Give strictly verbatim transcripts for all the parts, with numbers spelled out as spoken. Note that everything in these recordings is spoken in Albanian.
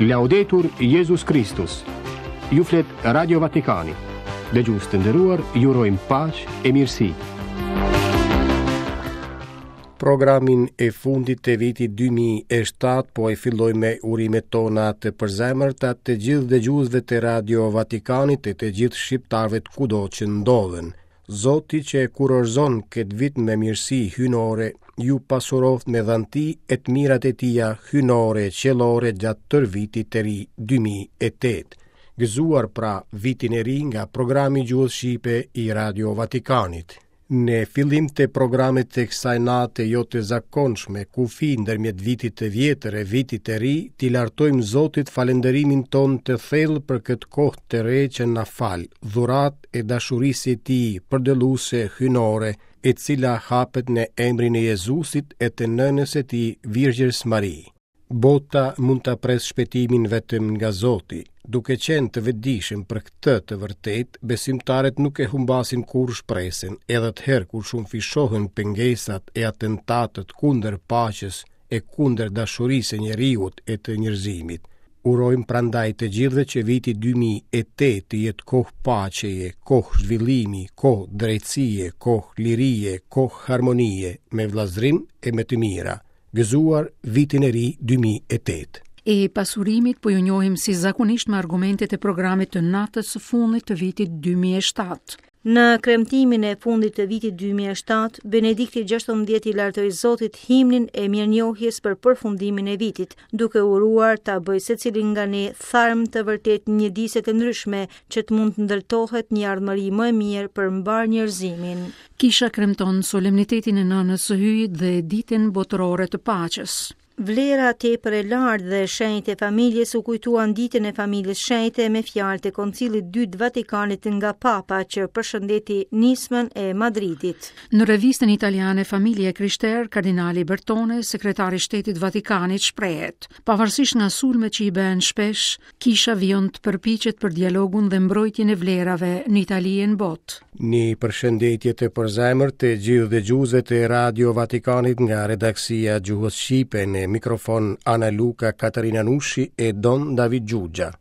Laudetur Jezus Kristus. Ju flet Radio Vatikani. Dëgjues të nderuar, ju urojmë paqe e mirësi. Programin e fundit të vitit dy mijë e shtatë po e filloj me urimet tona të përzemërta të gjithë dëgjuesve të Radio Vatikanit e të gjithë shqiptarëve kudo që ndodhen. Zoti që e kurorëzon këtë vit me mirësi hyjnore, ju pasuroft me dhanti e të mirat e tija hyjnore e qiellore gjatë tërë vitit të ri dy mijë e tetë. Gëzuar pra vitin e ri nga programi Gjuhës Shqipe i Radio Vatikanit. Në fillim të programit të kësaj nate jo të zakonshme, kufi ndërmjet vitit të vjetër e vitit të ri, t'i lartojmë Zotit falënderimin ton të thellë për këtë kohë të re që na fal, dhurat e dashurisë së tij përdëlluese hyjnore, e cila hapet në emrin e Jezusit e të nënës së tij Virgjërs Mari. Bota mund ta presë shpëtimin vetëm nga Zoti. Duke qenë të vetëdijshëm për këtë të vërtetë, besimtarët nuk e humbasin kurrë shpresën, edhe atëherë kur shumëfishohen pengesat e atentatët kundër paqes e kundër dashurisë së njeriut e të njerëzimit. Urojmë prandaj të gjithëve që viti dy mijë e tetë të jetë kohë paqeje, kohë zhvillimi, kohë drejtësie, kohë lirie, kohë harmonie, me vëllazërim e me të mira. Gëzuar vitin e ri dy mijë e tetë. E pasurimit po ju njohim si zakonisht me argumentet e programit të natës së fundit të vitit dy mijë e shtatë. Në kremtimin e fundit të vitit dy mijë e shtatë, Benedikti gjashtëmbëdhjetë i lartoi Zotit himnin e mirënjohjes për përfundimin e vitit, duke uruar ta bëjë secilin nga ne tharm të vërtet mjediset e ndryshme që të mund të ndërtohet një ardhmëri më e mirë për mbar njerëzimin. Kisha kremton solemnitetin e Nënës së Hyjit dhe Ditën Botërore të Paqes. Vlera tepër e lartë dhe shenjtë e familjes u kujtuan ditën e familjes shenjte me fjalët e Koncilit dytë Vatikanit nga Papa që përshëndeti nismën e Madridit. Në revistën italiane Familja e Krishterë, kardinali Bertone, sekretari i Shtetit Vatikanit, shprehet: Pavarësisht nga sulmet që i bëhen shpesh, kisha vijon të përpiqet për dialogun dhe mbrojtjen e vlerave në Itali e në botë. Një përshëndetje të përzemër të gjithë dëgjuesve të Radio Vatikanit nga redaksia Gjuhës Shqipe në mikrofon Ana Luka, Katarina Nushi e Don David Gjugja.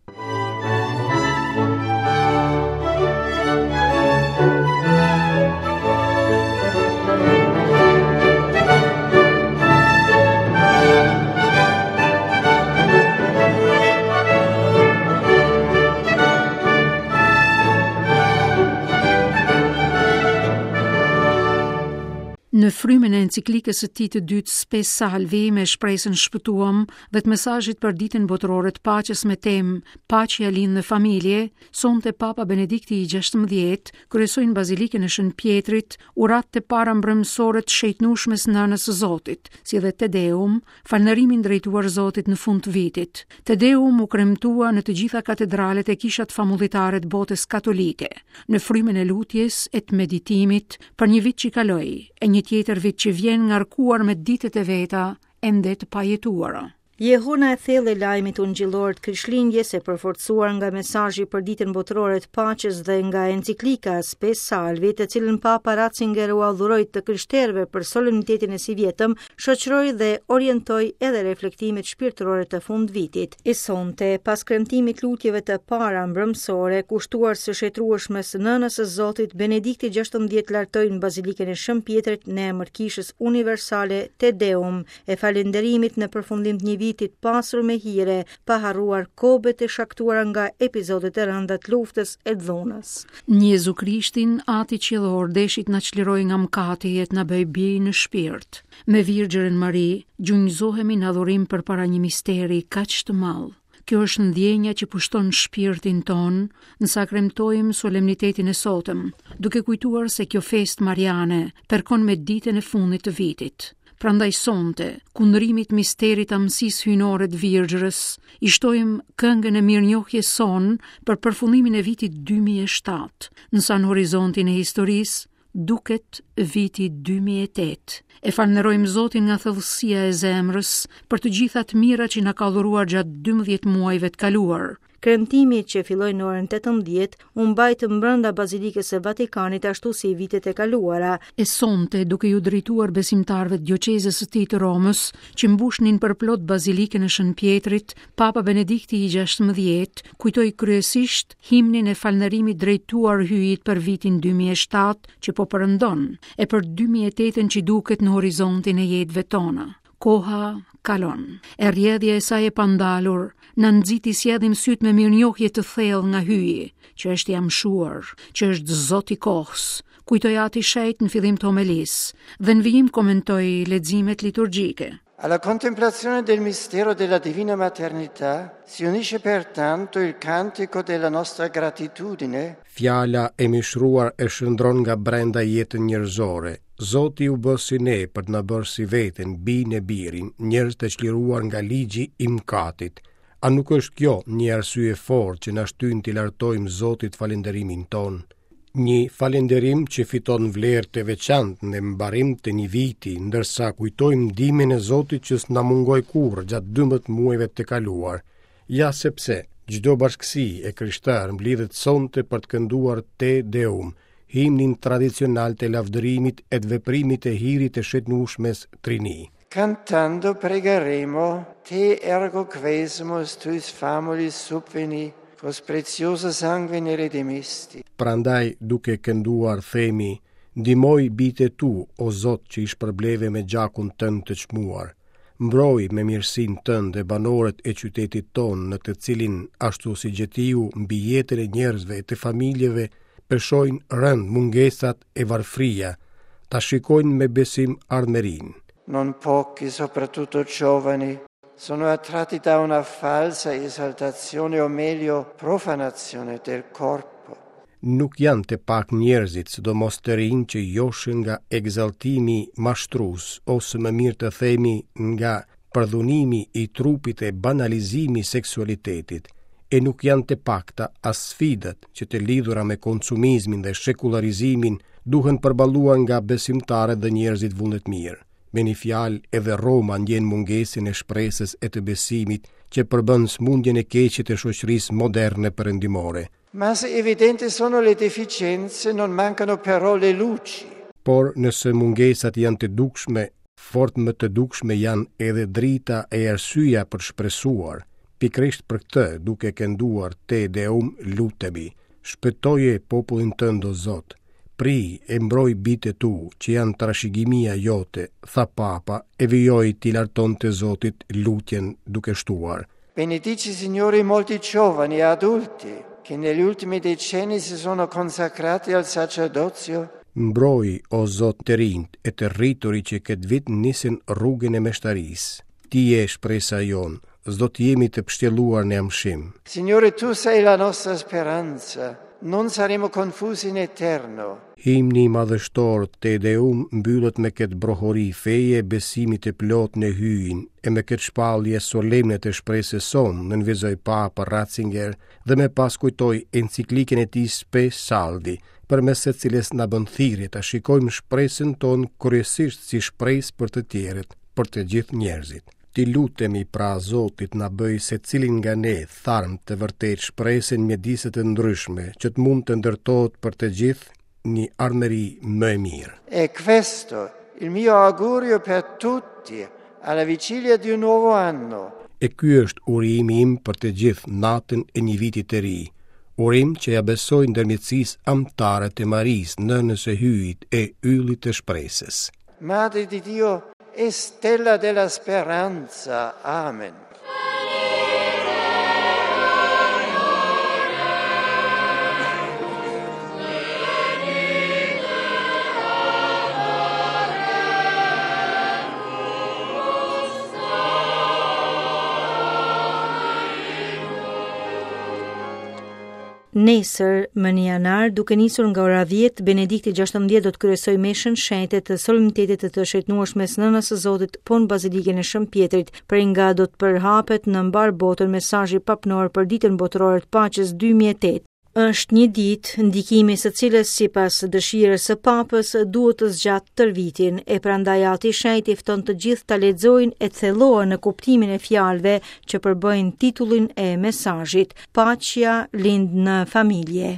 Në frymën e enciklikës së tij të dytë Spe Salvi me shpresën shpëtuam dhe të mesazhit për ditën botërore të paqes me temë Paqja lind në familje, sonte Papa Benedikti i gjashtëmbëdhjetë kryesoi në Bazilikën e Shën Pjetrit urat të para mbrëmsore të shejtnueshmes Nënës së Zotit, si dhe Te Deum, falënderimin drejtuar Zotit në fund të vitit. Te Deum u kremtua në të gjitha katedralet e kishat famullitare të botës katolike, në frymën e lutjes e të meditimit për një vit që kaloi, e një tjetër vit që vjen ngarkuar me ditët e veta ende të pajetuara. Jehona e thellë e lajmit ungjillor të Krishtlindjes e përforcuar nga mesazhi për ditën botërore të paqes dhe nga enciklika Spe Salvi, të cilën Papa Ratzinger ua dhuroi të krishterëve për solemnitetin e sivjetëm, shoqëroi dhe orientoi edhe reflektimet shpirtërore të fundvitit. E sonte, pas kremtimit lutjeve të para mbrëmsore, kushtuar së shetrueshmes Nënës së Zotit, Benedikti gjashtëmbëdhjetë lartoi në Bazilikën e Shën Pjetrit në emër Kishës Universale Te Deum e falënderimit në përfundim të një vitit pasur me hire, pa harruar kobet e shkaktuara nga epizodet e rënda të luftës e dhunës. Në Jezu Krishtin, Ati Qiellor deshi të na çliroj nga mëkati e të na bëj bij në shpirt. Me Virgjërën Mari, gjunjëzohemi në adhurim përpara një misteri kaq të madh. Kjo është ndjenja që pushton shpirtin ton, nësa kremtojmë solemnitetin e sotëm, duke kujtuar se kjo festë mariane përkon me ditën e fundit të vitit. Prandaj sonte, kundrimit misterit amësisë hyjnore të Virgjërës, i shtojmë këngën e mirënjohjes sonë për përfundimin e vitit dy mijë e shtatë, nësa në horizontin e historisë duket viti dy mijë e tetë. E falënderojmë Zotin nga thellësia e zemrës për të gjitha të mirat që na ka dhuruar gjatë dymbëdhjetë muajve të kaluar. Kremtimi që filloi në orën tetëmbëdhjetë u mbajt brenda Bazilikës së Vatikanit ashtu si vitet e kaluara. E sonte, duke ju drejtuar besimtarëve të dioqezës së tij të Romës, që mbushnin përplot Bazilikën e Shën Pjetrit, Papa Benedikti i gjashtëmbëdhjetë kujtoi kryesisht himnin e falënderimit drejtuar Hyjit për vitin dy mijë e shtatë që po perëndon, e për dy mijë e tetën që duket në horizontin e jetëve tona. Koha kalon, e rrjedhja e saj e pandalur na nxiti sjellim syt me mirënjohje të thellë nga Hyji, që është i amshuar, që është Zoti i kohës, kujtoi Ati Shenjt në fillim të homelisë dhe në vijim komentoi leximet liturgjike. Alla contemplazione del mistero della Divina Maternità si unisce pertanto il cantico della nostra gratitudine. Fjala e mishruar e shndron nga brenda jetën njerëzore. Zoti u bë si ne për të na bërë si veten, bin e birin, njerëz të çliruar nga ligji i mkatit. A nuk është kjo një arsye e fortë që na shtyn t'i lartojmë Zotit falënderimin ton? Një falënderim që fiton vlerë të veçantë në mbarim të një viti, ndërsa kujtojmë ndihmën e Zotit që s'na mungoi kurrë gjatë dymbëdhjetë muajve të kaluar. Ja sepse çdo bashkësi e krishterë mblidhet sonte për të kënduar Te Deum, himnin tradicional të lavdërimit e të veprimit të hirit të shëtnueshmes Trini. Cantando pregheremo, te ergo quesumus tuis famulis subveni, quos preciosa sanguine redimisti. Prandaj, duke kënduar, themi, ndihmoj bitë e tu, o Zot, që i shpërbleve me gjakun tënd të çmuar. Mbroj me mirësinë tënde banorët e qytetit ton, në të cilin, ashtu si gjetiu mbi jetën e njerëzve e të familjeve, peshojnë rënd mungesat e varfria, ta shikojnë me besim ardhmërinë. Non pochi, soprattutto giovani, sono attratti da una falsa esaltazione o meglio profanazione del corpo. Nuk janë të pak njerëzit, sidomos të rinj, që joshen nga egzaltimi mashtrus, ose më mirë të themi nga përdhunimi i trupit e banalizimi i seksualitetit. E nuk janë të pakta as sfidat që të lidhura me konsumizmin dhe shekullarizimin duhen përballuar nga besimtarët dhe njerëzit vullnetmirë. Me një fjalë, edhe Roma ndjen mungesën e shpresës e të besimit që përbën smundjen e keqe të shoqërisë moderne perëndimore. Ma se evidenti sono le deficienze, non mancano però le luci. Por nëse mungesat janë të dukshme, fort më të dukshme janë edhe drita e arsyeja për shpresuar. Pikërisht për këtë, duke kënduar Te Deum, lutemi, shpëtoje popullin tënd, o Zot. Pri e mbroj bitë e tu, që janë trashëgimia jote, tha Papa, e vijoi t'i lartonte Zotit lutjen duke shtuar. Benedici, Signore, i molti giovani e adulti, che negli ultimi decenni si sono consacrati al sacerdozio. Mbroj, o Zot, të rinjt e të rriturit që këtë vit nisin rrugën e meshtarisë. Ti je shpresa jonë, s'do të jemi të pështjelluar në amshim. Signore, tu sei la nostra speranza, non saremo confusi in eterno. Himni i madhështor Te Deum mbyllet me këtë brohori feje besimi të plot në Hyjin e me këtë shpallje solemne të shpresës sonë, nënvizoi Papa Ratzinger dhe me pas kujtoi enciklikën e tij Spe Salvi, përmes së cilës na bën thirrje ta shikojmë shpresën tonë kryesisht si shpresë për të tjerët, për të gjithë njerëzit. Ti lutemi pra Zotit na bëj secilin nga ne tharm të vërtet shpresën në mjedise të ndryshme, që të mund të ndërtohet për të gjithë një ardhmëri më e mirë. E questo il mio augurio per tutti alla vigilia di un nuovo anno. E ky është urimi im për të gjithë natën e një viti të ri. Urim që ja besoj ndërmjetësisë amtare të Marisë, nënës së Hyjit e yllit të shpresës. Madre di Dio e stella della speranza. Amen. Nesër, më një janar, duke nisur nga ora dhjetë, Benedikti gjashtëmbëdhjetë do të kryesojë meshën shenjte të solemnitetit të të shëtnueshmes Nënës së Zotit po në Bazilikën e Shën Pjetrit, prej nga do të përhapet në mbar botën mesazhi papnor për ditën botërore të paqes dy mijë e tetë. Është një ditë, ndikimi së cilës sipas dëshirës së Papës duhet të zgjatë tërë vitin, e prandaj Ati i Shenjtë i fton të gjithë ta lexojnë e të thellohen në kuptimin e fjalëve që përbëjnë titullin e mesazhit: Paqja lind në familje.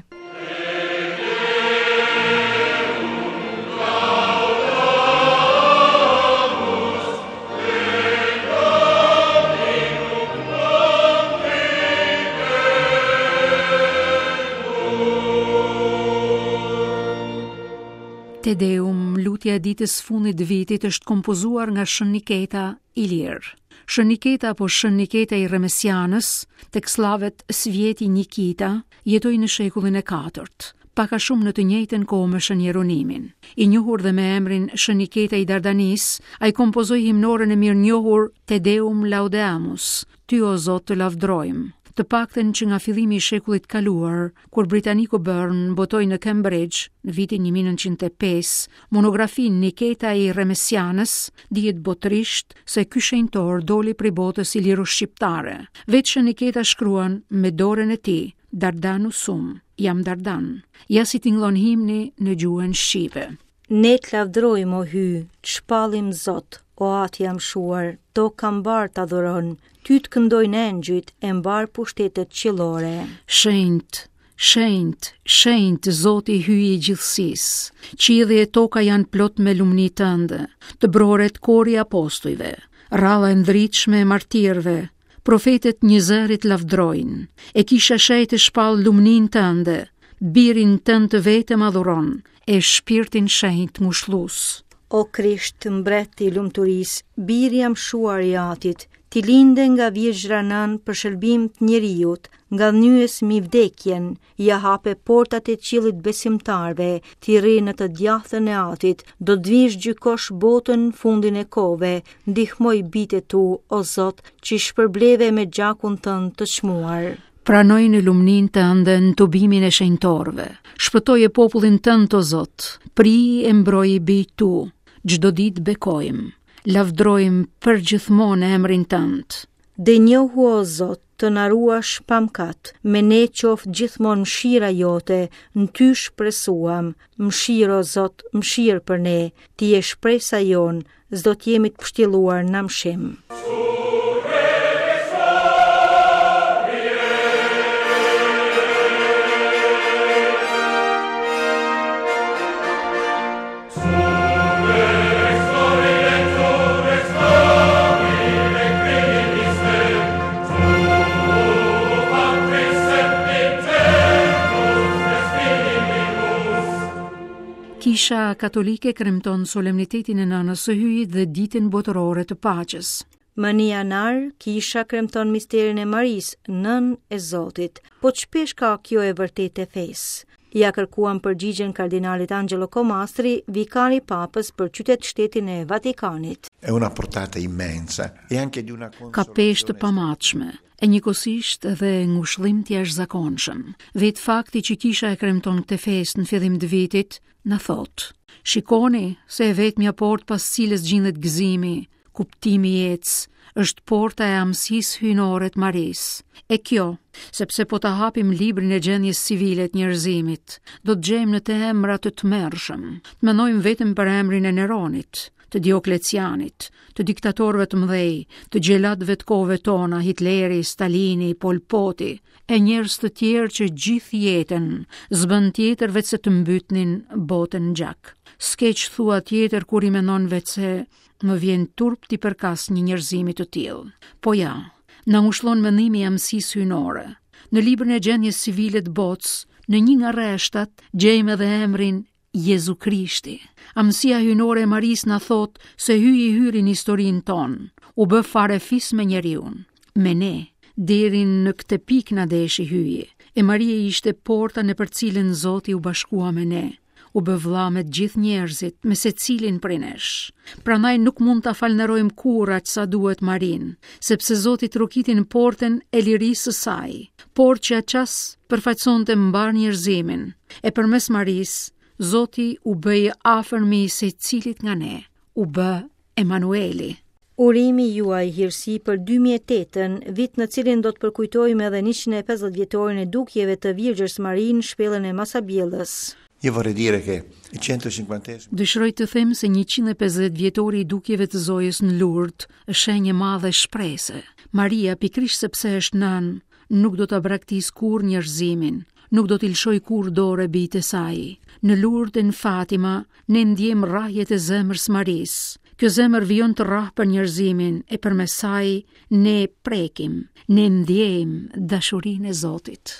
Te Deum, lutja e ditës fundit të vitit, është kompozuar nga Shën Niketa Ilir. Shën Niketa apo Shën Niketa i Remesianës, tek sllavet Svjeti Nikita, jetoi në shekullin e katërt, pak a shumë në të njëjtën kohë me Shën Jeronimin. I njohur dhe me emrin Shën Niketa i Dardanisë, ai kompozoi himnoren e mirënjohur Te Deum Laudeamus, Ty o Zot të lavdrojmë. Të paktën që nga fillimi i shekullit kaluar, kur Britaniku Byrne botoi në Cambridge në vitin një mijë e nëntëqind e pesë monografinë Niketa i Remesianës, dihet botërisht se ky shenjtor doli prej botës iliro-shqiptare. Vetë Shën Niketa shkruan me dorën e tij, Dardanu sum, jam Dardan. Ja si tingëllon himni në gjuhën shqipe. Ne të lavdrojmë, o Hy, të shpallim Zot, o Ati jam shuar, toka mbar të adhuron, ty të këndojnë engjëjt e mbar pushtetet qiellore. Shenjt, shenjt, shenjt, Zoti Hyji i gjithësisë. Qielli e toka janë plot me lumni tënde, të broret kori i apostujve, rralla e ndritshme e martirëve, profetet njëzërit lavdrojnë, e kisha shenjtë shpall lumnin tënde, birin tënd të vetëm adhuron, e shpirtin shenjt ngushllus. O Krisht, mbret i lumturisë, biri jam shuar i Atit, ti linde nga virgjra nën për shërbim të njeriut, nga nyes mi vdekjen, ja hape portat e qiellit besimtarve, ti rri në të djathtën e Atit, do të vish gjykosh botën fundin e kohëve, ndihmoj bitë tu, o Zot, që i shpërbleve me gjakun tënd të çmuar. Pranoj në lumnin tënde në tubimin e shenjtorëve. Shpëtoje popullin tënd, o Zot, pri e mbroj bijtë tu. Çdo ditë bekojmë, lavdrojmë për gjithmonë emrin tënd. Denjohu, o Zot, të na ruash pa mkat, me ne qoftë gjithmonë mëshira jote, në ty shpresuam. Mëshirë, o Zot, mëshirë për ne, ti je shpresa jonë, s'do të jemi të pështjelluar në mshim. Kisha Katolike kremton solemnitetin e Nënës së Hyjit dhe Ditën Botërore të Paqes. Më një janar, Kisha kremton misterin e Marisë, Nënë e Zotit. Po ç'pesh ka kjo e vërtetë e fesë? Ja kërkuan përgjigjen kardinalit Angelo Comastri, vikari papës për qytet shtetin e Vatikanit. È una portata immensa e anche di una Ka peshë të pamatshme, e njëkohësisht edhe ngushëllim të jashtëzakonshëm. Vetë fakti që kisha e kremton këtë festë në fillim të vitit, na thotë: shikoni se e vetmja portë pas cilës gjindet gëzimi, kuptimi i jetës, është porta e amësisë hyjnore të Marisë. E kjo, sepse po ta hapim librin e gjendjes civile të njerëzimit, do të gjejmë në të emra të tmerrshëm. Të mendojmë vetëm për emrin e Neronit, të Dioklecianit, të diktatorëve të mëdhej, të gjelatëve të kohëve tona, Hitleri, Stalini, Pol Poti, e njerëz të tjerë që gjithë jetën s'bën tjetër veç se të mbytnin botën në gjak. S'ke ç'thua tjetër kur i mendon veç se më vjen turp t'i përkas një njerëzimi të tillë. Po ja, na ngushllon mendimi i amësisë hyjnore. Në librin e gjendjes civile të botës, në një nga rreshtat, gjejmë edhe emrin Jezu Krishti. Amësia hyjnore e Marisë na thotë se Hyji hyri në historinë tonë, u bë fare fis me njeriun, me ne, deri në këtë pikë na deshi Hyji. E Maria ishte porta në për cilën Zoti u bashkua me ne, u bë vëlla me të gjithë njerëzit, me secilin prej nesh. Prandaj nuk mund ta falënderojmë kurrë aq sa duhet Marinë, sepse Zoti trokiti në portën e lirisë së saj, por që atë ças përfaqësonte mbar njerëzimin. E përmes Marisë, Zoti u bë i afërmi i secilit nga ne, u bë Emanueli. Urimi juaj hirësi për dy mijë e tetën, vit në cilin do të përkujtojmë edhe njëqind e pesëdhjetë vjetorin e dukjeve të Virgjës Mari në shpellën e Masabjellës. Io vorrei dire che il centocinquantesimo Dëshiroj të them se njëqind e pesëdhjetë vjetori i dukjeve të Zojës në Lourdes është shenjë e madhe shprese. Maria, pikërisht sepse është nënë, nuk do ta braktis kurrë njerëzimin, nuk do t'i lëshoj kurrë dorë bijtë e saj. Në Lourdes e në Fatima ne ndjem rrahjet e zemrës Marisë. Kjo zemër vijon të rrah për njerëzimin e përmes saj ne prekim, ne ndjejmë dashurinë e Zotit.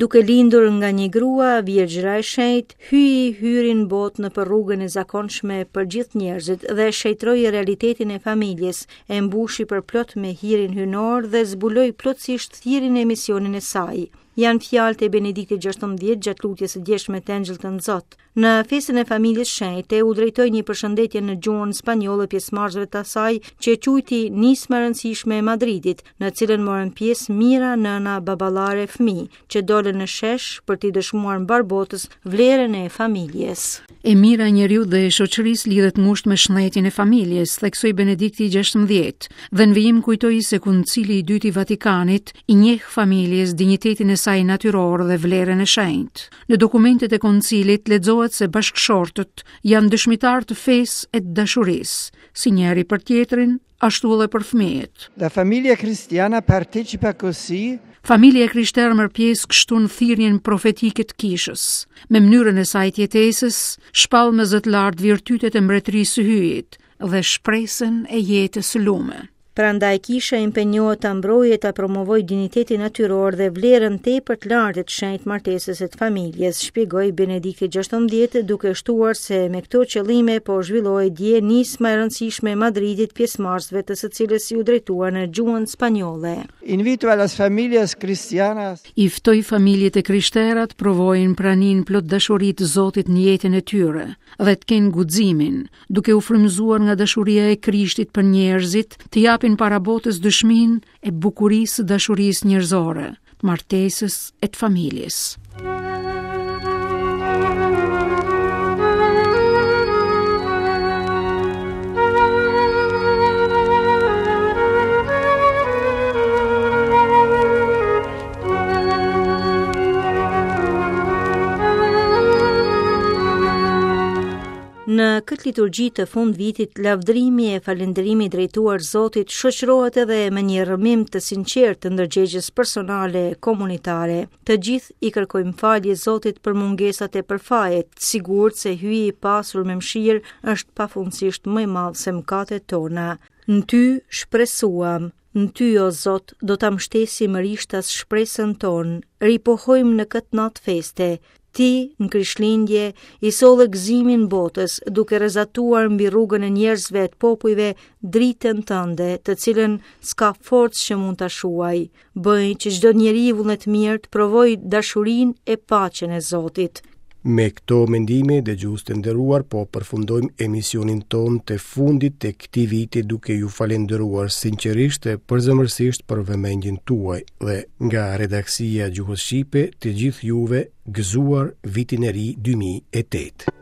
Duke lindur nga një grua, Virgjëra e Shenjtë, hyi hyri në botë në për rrugën e zakonshme për gjithë njerëzit dhe shenjtroi realitetin e familjes, e mbushi përplot me hirin hyjnor dhe zbuloi plotësisht thirrjen e misionin e saj. Janë fjalët e Benediktit gjashtëmbëdhjetë gjatë lutjes së djeshme të Engjëllit të Nxot. Në festën e familjes shenjte u drejtoi një përshëndetje në gjuhën spanjolle pjesëmarrësve të asaj që e quajti nisma e rëndësishme e Madridit, në cilën morën pjesë mijëra nëna, baballare e fëmijë, që dolën në shesh për t'i dëshmuar mbar botës vlerën e familjes. E mira e njeriut dhe e shoqërisë lidhet ngushtë me shëndetin e familjes, theksoi Benedikti gjashtëmbëdhjetë, dhe në vijim kujtoi se Koncili i dytë i Vatikanit i njeh familjes dinjitetin e saj natyror dhe vlerën e shenjtë. Në dokumentet e koncilit lexohet se bashkëshortët janë dëshmitar të fesë e të dashurisë, si njëri për tjetrin, ashtu edhe për fëmijët. La famiglia cristiana partecipa così Familja e krishterë merr pjesë kështu në thirrjen profetike të kishës. Me mënyrën e saj të jetesës, shpall me zë të lartë virtytet e mbretërisë së Hyjit dhe shpresën e jetës së lume. Prandaj kisha impenjohet ta mbrojë e ta promovojë dinjitetin natyror dhe vlerën tepër të lartë të shenjtë martesës e të familjes, shpjegoi Benedikti gjashtëmbëdhjetë, duke shtuar se me këto qëllime po zhvillohej dje nisma e rëndësishme e Madridit, pjesëmarrësve të së cilës iu drejtua në gjuhën spanjolle. Invito a las familias cristianas I ftoj familjet e krishtera të provojnë praninë plot dashuri të Zotit në jetën e tyre dhe të kenë guximin, duke u frymëzuar nga dashuria e Krishtit për njerëzit, të japin para botës dëshminë e bukurisë së dashurisë njerëzore, të martesës e të familjes. Në këtë liturgji të fund vitit, lavdërimi e falënderimi drejtuar Zotit shoqërohet edhe me një rrëmim të sinqertë të ndërgjegjes personale e komunitare. Të gjithë i kërkojmë falje Zotit për mungesat e përfajet, sigurt se Hyji i pasur me mëshirë është pafundësisht më i madh se mëkatet tona. Në ty shpresuam, në ty o Zot do ta mbështesim rishtas shpresën tonë, ripohojmë në këtë natë feste. Ti, në Krishtlindje, i solle gëzimin botës, duke rrezatuar mbi rrugën e njerëzve e të popujve dritën tënde, të cilën s'ka forcë që mund ta shuaj. Bëj që çdo njeri vullnet mirë të provojë dashurinë e paqen e Zotit. Me këto mendime, dëgjues të nderuar, po përfundojmë emisionin ton të fundit të këtij viti duke ju falendëruar sinqerisht e përzemërsisht për vëmendjen tuaj dhe nga redaksia Gjuhës Shqipe të gjithë juve gëzuar vitin e ri dy mijë e tetë.